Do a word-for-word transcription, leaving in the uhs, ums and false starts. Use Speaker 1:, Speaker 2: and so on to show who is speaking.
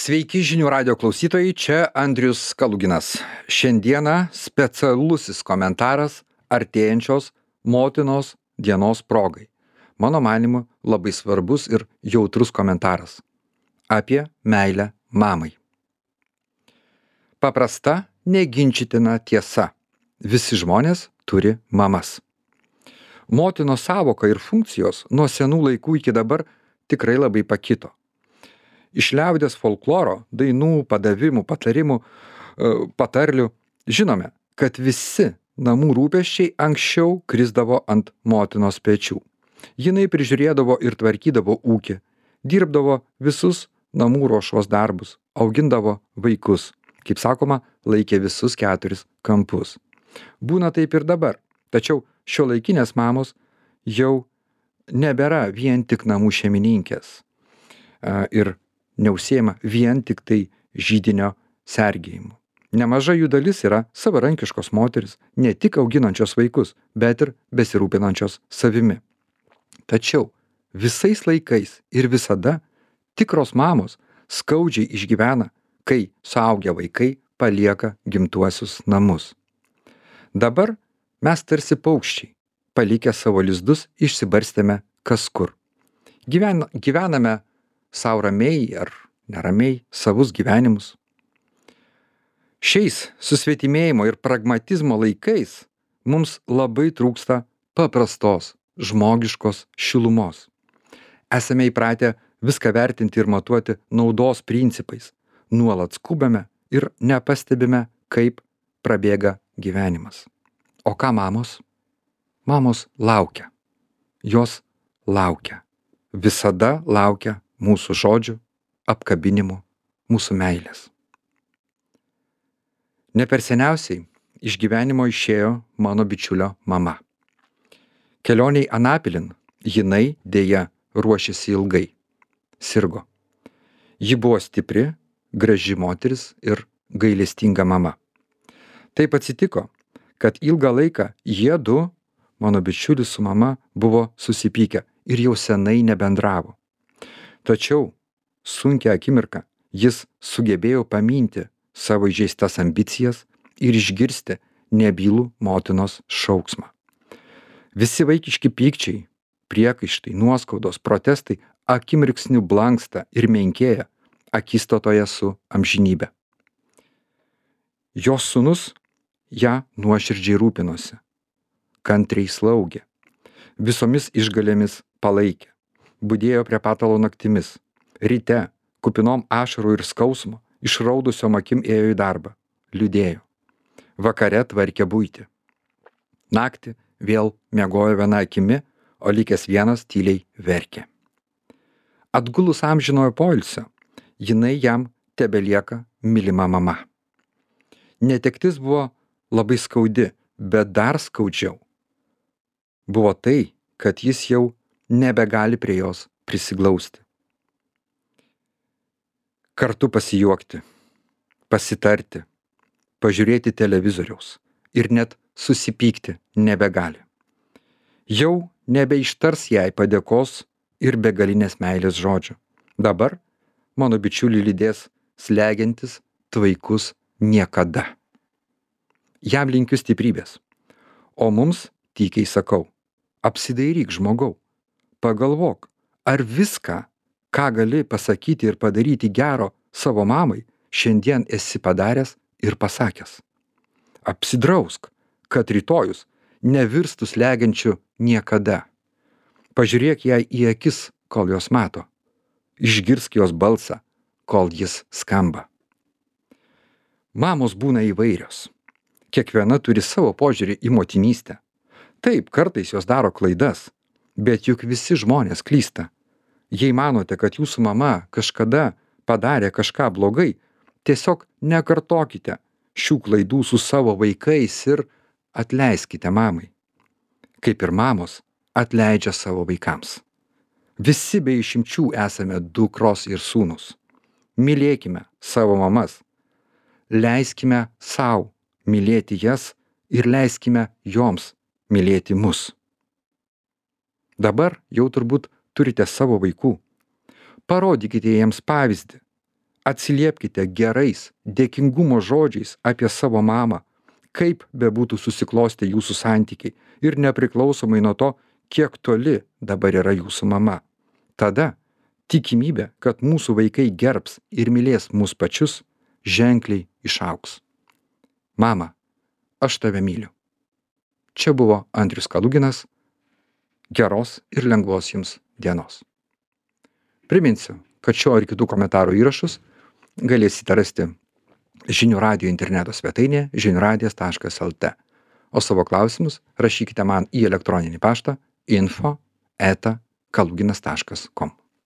Speaker 1: Sveiki žinių radio klausytojai, čia Andrius Kaluginas. Šiandieną specialusis komentaras artėjančios motinos dienos progai. Mano manimu, labai svarbus ir jautrus komentaras apie meilę mamai. Paprasta, neginčytina tiesa. Visi žmonės turi mamas. Motinos sąvoka ir funkcijos nuo senų laikų iki dabar tikrai labai pakito. Iš liaudies folkloro, dainų, padavimų, patarimų, patarlių žinome, kad visi namų rūpesčiai anksčiau krisdavo ant motinos pečių. Jinai prižiūrėdavo ir tvarkydavo ūkį, dirbdavo visus namų ruošos darbus, augindavo vaikus, kaip sakoma, laikė visus keturis kampus. Būna taip ir dabar, tačiau šiuolaikinės mamos jau nebėra vien tik namų šeimininkės ir neužsiema vien tik tai židinio sergėjimu. Nemaža jų dalis yra savarankiškos moteris, ne tik auginančios vaikus, bet ir besirūpinančios savimi. Tačiau visais laikais ir visada tikros mamos skaudžiai išgyvena, kai suaugę vaikai palieka gimtuosius namus. Dabar mes tarsi paukščiai, palikę savo lizdus, išsibarstėme kas kur. Gyven, gyvename sau ramiai ar neramiai savus gyvenimus. Šiais susvetimėjimo ir pragmatizmo laikais mums labai trūksta paprastos, žmogiškos šilumos. Esame įpratę viską vertinti ir matuoti naudos principais. Nuolat skubame ir nepastebime, kaip prabėga gyvenimas. O ką mamos? Mamos laukia. Jos laukia. Visada laukia mūsų žodžių, apkabinimų, mūsų meilės. Ne per seniausiai iš gyvenimo išėjo mano bičiulio mama. Kelioniai Anapilin jinai dėja ruošėsi ilgai. Sirgo. Ji buvo stipri, graži moteris ir gailestinga mama. Taip atsitiko, kad ilgą laiką jie du, mano bičiulis su mama, buvo susipykę ir jau senai nebendravo. Tačiau sunkią akimirką jis sugebėjo paminti savo įžeistas ambicijas ir išgirsti nebylų motinos šauksmą. Visi vaikiški pykčiai, priekaištai, nuoskaudos, protestai akimirksniu blanksta ir menkėja akistatoje su amžinybė. Jos sūnus ją nuoširdžiai rūpinosi, kantriai slaugė, visomis išgalėmis palaikė, budėjo prie patalo naktimis, ryte, kupinom ašarų ir skausmo, išraudusiom akim ėjo į darbą, liūdėjo, vakare tvarkė buitį. Naktį vėl miegojo viena akimi, o likęs vienas tyliai verkė. Atgulus amžinojo poilsio, jinai jam tebelieka mylima mama. Netektis buvo labai skaudi, bet dar skaudžiau buvo tai, kad jis jau nebegali prie jos prisiglausti. Kartu pasijuokti, pasitarti, pažiūrėti televizoriaus ir net susipykti nebegali. Jau nebeištars jai padėkos ir begalinės meilės žodžių. Dabar mano bičiulį lydės slegiantis tvaikus niekada. Jam linkiu stiprybės, o mums tykiai sakau, apsidairyk žmogau, pagalvok, ar viską, ką gali pasakyti ir padaryti gero savo mamai, šiandien esi padaręs ir pasakęs. Apsidrausk, kad rytojus nevirstų slegiančiu niekada. Pažiūrėk jai į akis, kol jos mato. Išgirsk jos balsą, kol jis skamba. Mamos būna įvairios. Kiekviena turi savo požiūrį į motinystę. Taip, kartais jos daro klaidas, bet juk visi žmonės klysta. Jei manote, kad jūsų mama kažkada padarė kažką blogai, tiesiog nekartokite šių klaidų su savo vaikais ir atleiskite mamai. Kaip ir mamos atleidžia savo vaikams. Visi be išimčių esame dukros ir sūnus. Mylėkime savo mamas. Leiskime sau mylėti jas ir leiskime joms mylėti mus. Dabar jau turbūt turite savo vaikų. Parodykite jiems pavyzdį. Atsiliepkite gerais, dėkingumo žodžiais apie savo mamą, kaip bebūtų susiklostę jūsų santykiai ir nepriklausomai nuo to, kiek toli dabar yra jūsų mama. Tada tikimybė, kad mūsų vaikai gerbs ir mylės mus pačius, ženkliai išaugs. Mama, aš tave myliu. Čia buvo Andrius Kaluginas. Geros ir lengvos jums dienos. Priminsiu, kad šio ir kitų komentarų įrašus galėsite rasti žinių radijo interneto svetainėje žinių radijas taškas lt. O savo klausimus rašykite man į elektroninį paštą info eta kaluginas taškas kom.